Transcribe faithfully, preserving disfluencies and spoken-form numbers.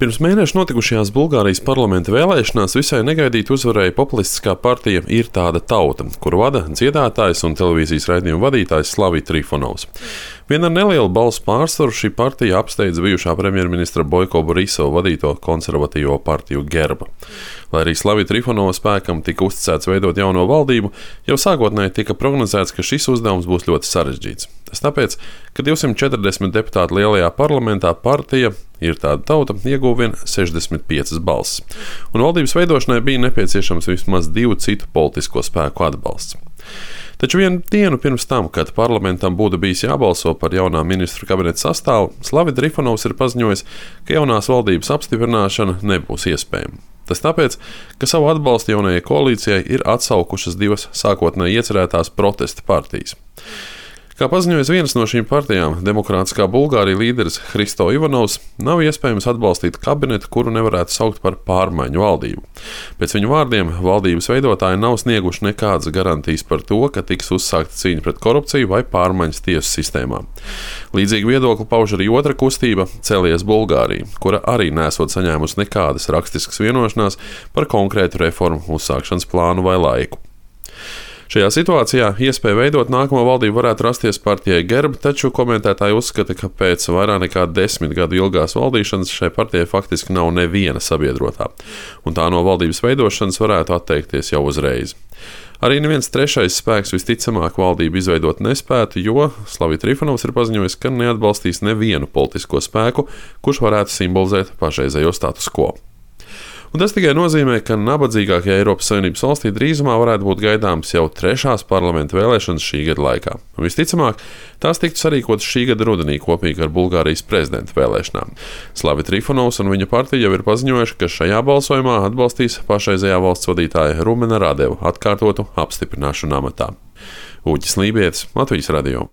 Pirms mēneša notikušajās Bulgārijas parlamenta vēlēšanās visai negaidīti uzvarēja populistiskā partija Ir tāda tauta, kuru vada dziedātājs un televīzijas raidījuma vadītājs Slavij Trifonovs. Vien ar nelielu balsu pārsvaru šī partija apsteidza bijušā premjerministra Boiko Borisova vadīto konservatīvo partiju Gerba. Lai arī Slavija Trifonova spēkam tika uzticēts veidot jauno valdību, jau sākotnēji tika prognozēts, ka šis uzdevums būs ļoti sarežģīts. Tas tāpēc, ka divsimt četrdesmit deputātu lielajā parlamentā partija Ir tāda tauta ieguva vien sešdesmit piecas balsis, un valdības veidošanai bija nepieciešams vismaz divu citu politisko spēku atbalsts. Taču vienu dienu pirms tam, kad parlamentam būtu bijis jābalso par jaunā ministru kabineta sastāvu, Slavij Trifonovs ir paziņojis, ka jaunās valdības apstiprināšana nebūs iespējama. Tas tāpēc, ka savu atbalstu jaunajai koalīcijai ir atsaukušas divas sākotnēji iecerētās protesta partijas. Kā paziņojas vienas no šīm partijām, Demokrātiskā Bulgārija līderis Hristo Ivanovs, nav iespējams atbalstīt kabinetu, kuru nevarētu saukt par pārmaiņu valdību. Pēc viņu vārdiem, valdības veidotāji nav snieguši nekādas garantijas par to, ka tiks uzsākta cīņa pret korupciju vai pārmaiņas tiesu sistēmā. Līdzīgu viedokli pauž arī otra kustība Celies Bulgārija, kura arī nesot saņēmusi nekādas rakstiskas vienošanās par konkrētu reformu uzsākšanas plānu vai laiku. Šajā situācijā iespēja veidot nākamo valdību varētu rasties partijai Gerba, taču komentētāji uzskata, ka pēc vairāk nekā desmit gadu ilgās valdīšanas šai partijai faktiski nav neviena sabiedrotā, un tā no valdības veidošanas varētu atteikties jau uzreiz. Arī neviens trešais spēks visticamāk valdību izveidot nespētu, jo Slavij Trifonovs ir paziņojis, ka neatbalstīs nevienu politisko spēku, kurš varētu simbolizēt pašreizējo status quo. Un tas tikai nozīmē, ka nabadzīgākajā Eiropas Savienības valstī drīzumā varētu būt gaidāmas jau trešās parlamenta vēlēšanas šī gada laikā. Un visticamāk, tās tiktu sarīkotas šī gada rudenī kopīgi ar Bulgārijas prezidenta vēlēšanām. Slavij Trifonovs un viņa partija jau ir paziņojuši, ka šajā balsojumā atbalstīs pašreizējā valsts vadītāja Rumena Radeva atkārtotu apstiprināšanu amatā. Uģis Lībietis, Latvijas radio.